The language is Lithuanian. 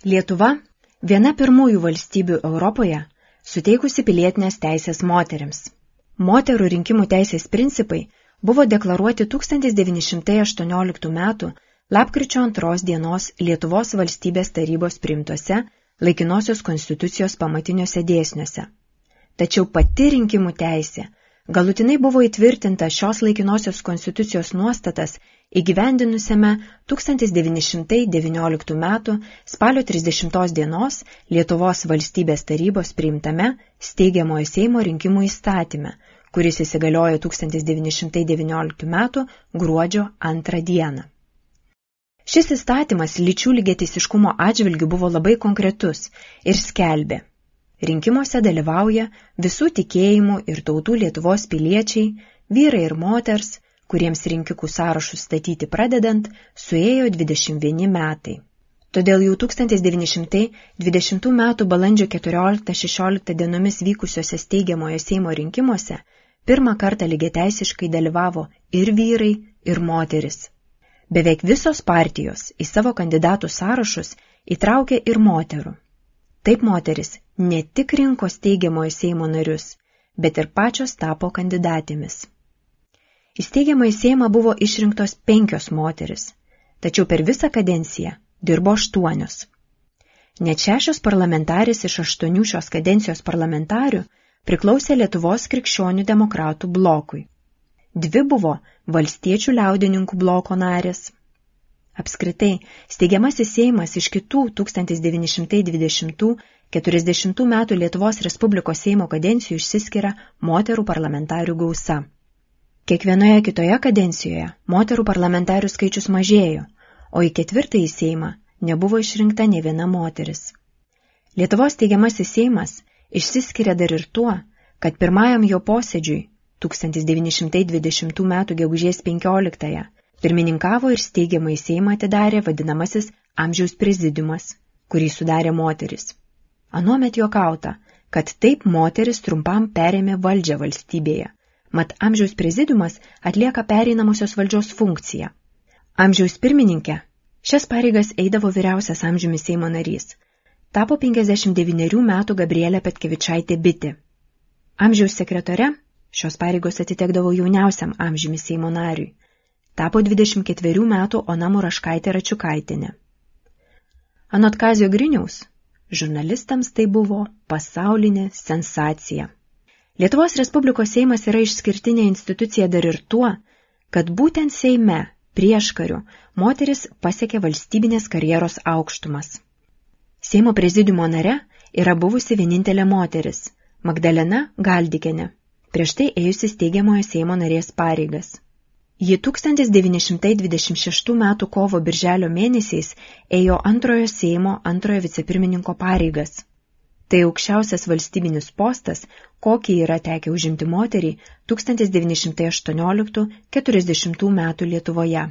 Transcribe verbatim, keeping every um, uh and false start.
Lietuva – viena pirmųjų valstybių Europoje, suteikusi pilietinės teisės moterims. Moterų rinkimų teisės principai buvo deklaruoti tūkstantis devyni šimtai aštuonioliktų metų lapkričio antros dienos Lietuvos valstybės tarybos priimtuose laikinosios konstitucijos pamatiniuose dėsniuose. Tačiau pati rinkimų teisė galutinai buvo įtvirtinta šios laikinosios konstitucijos nuostatas įgyvendinusiame tūkstantis devyni šimtai devynioliktų metų spalio trisdešimtos dienos Lietuvos valstybės tarybos priimtame steigiamojo Seimo rinkimų įstatyme, kuris įsigaliojo tūkstantis devyni šimtai devynioliktų metų gruodžio antrą dieną. Šis įstatymas lyčių lygiateisiškumo atžvilgiu buvo labai konkretus ir skelbė: rinkimuose dalyvauja visų tikėjimų ir tautų Lietuvos piliečiai, vyrai ir moters, kuriems rinkikų sąrašus statyti pradedant, suėjo dvidešimt vieni metai. Todėl jau tūkstantis devyni šimtai dvidešimtų metų balandžio keturioliktą šešioliktą dienomis vykusiuose steigiamojo Seimo rinkimuose pirmą kartą lygiateisiškai dalyvavo ir vyrai, ir moteris. Beveik visos partijos į savo kandidatų sąrašus įtraukė ir moterų. Taip moteris ne tik rinko steigiamojo Seimo narius, bet ir pačios tapo kandidatėmis. Į steigiamąjį Seimą buvo išrinktos penkios moteris, tačiau per visą kadenciją dirbo aštuonios. Net šešios parlamentarės iš aštuonių šios kadencijos parlamentarių priklausė Lietuvos krikščionių demokratų blokui. Dvi buvo valstiečių liaudininkų bloko narės. Apskritai, steigiamasis Seimas iš kitų tūkstantis devyni šimtai dvidešimtų keturiasdešimtų metų Lietuvos Respublikos Seimo kadencijų išsiskiria moterų parlamentarių gausa. Kiekvienoje kitoje kadencijoje moterų parlamentarių skaičius mažėjo, o į ketvirtąjį Seimą nebuvo išrinkta nė viena moteris. Lietuvos steigiamasis Seimas išsiskiria dar ir tuo, kad pirmajam jo posėdžiui tūkstantis devyni šimtai dvidešimtų metų gegužės penkioliktąją pirmininkavo ir steigiamąjį Seimą atidarė vadinamasis amžiaus prezidiumas, kurį sudarė moteris. Anuomet juokauta, kad taip moteris trumpam perėmė valdžią valstybėje, mat amžiaus prezidiumas atlieka pereinamosios valdžios funkciją. Amžiaus pirmininkė šias pareigas eidavo vyriausias amžiumi Seimo narys. Tapo penkiasdešimt devynerių metų Gabrielė Petkevičaitė Bitė. Amžiaus sekretore šios pareigos atitekdavo jauniausiam amžiumi Seimo nariui. Tapo dvidešimt ketverių metų Ona Muraškaitė Račiukaitienė. Anot Kazio Griniaus, žurnalistams tai buvo pasaulinė sensacija. Lietuvos Respublikos Seimas yra išskirtinė institucija dar ir tuo, kad būtent Seime prieškariu moteris pasiekė valstybinės karjeros aukštumas. Seimo prezidiumo nare yra buvusi vienintelė moteris – Magdalena Galdikienė, prieš tai ėjusi steigiamojo Seimo narės pareigas. Ji tūkstantis devyni šimtai dvidešimt šeštų metų kovo birželio mėnesiais ėjo antrojo Seimo antrojo vicepirmininko pareigas. Tai aukščiausias valstybinis postas, kokį yra tekę užimti moteriai tūkstantis devyni šimtai aštuonioliktų keturiasdešimtų metų Lietuvoje.